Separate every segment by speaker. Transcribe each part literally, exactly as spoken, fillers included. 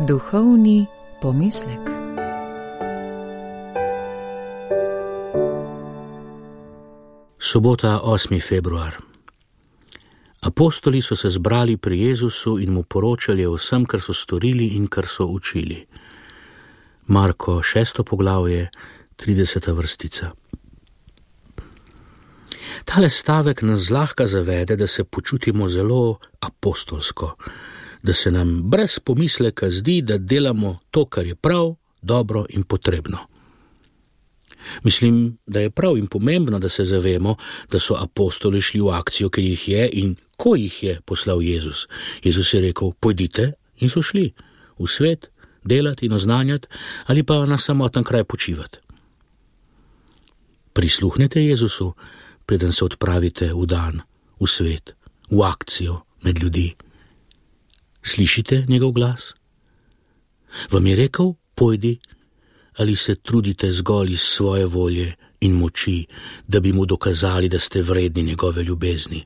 Speaker 1: Duhovni pomislek.
Speaker 2: Sobota, osmi februar. Apostoli so se zbrali pri Jezusu in mu poročali o vsem, kar so storili in kar so učili. Marko, šesto poglavje, trideseta vrstica. Tale stavek nas zlahka zavede, da se počutimo zelo apostolsko, da se nam brez pomisleka zdi, da delamo to, kar je prav, dobro in potrebno. Mislim, da je prav in pomembno, da se zavemo, da so apostoli šli v akcijo, ker jih je in ko jih je poslal Jezus. Jezus je rekel, pojdite, in so šli v svet, delati in oznanjati ali pa na samoten kraj počivati. Prisluhnete Jezusu, preden se odpravite v dan, v svet, v akcijo med ljudi. Slišite njegov glas? Vam je rekel, pojdi, ali se trudite zgolj iz svoje volje in moči, da bi mu dokazali, da ste vredni njegove ljubezni?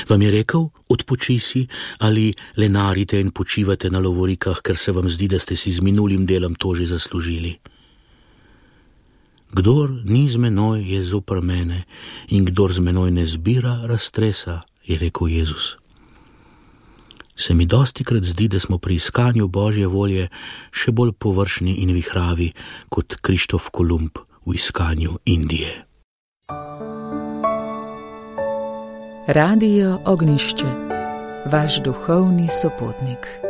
Speaker 2: Vam je rekel, odpoči si, ali lenarite in počivate na lovorikah, ker se vam zdi, da ste si z minulim delom to že zaslužili? Kdor ni z menoj, je zoper mene, in kdor z menoj ne zbira, raztresa, je rekel Jezus. Se mi dostikrat zdi, da smo pri iskanju Božje volje še bolj površni in vihravi kot Krištof Kolumb v iskanju Indije.
Speaker 1: Radio Ognišče, vaš duhovni sopotnik.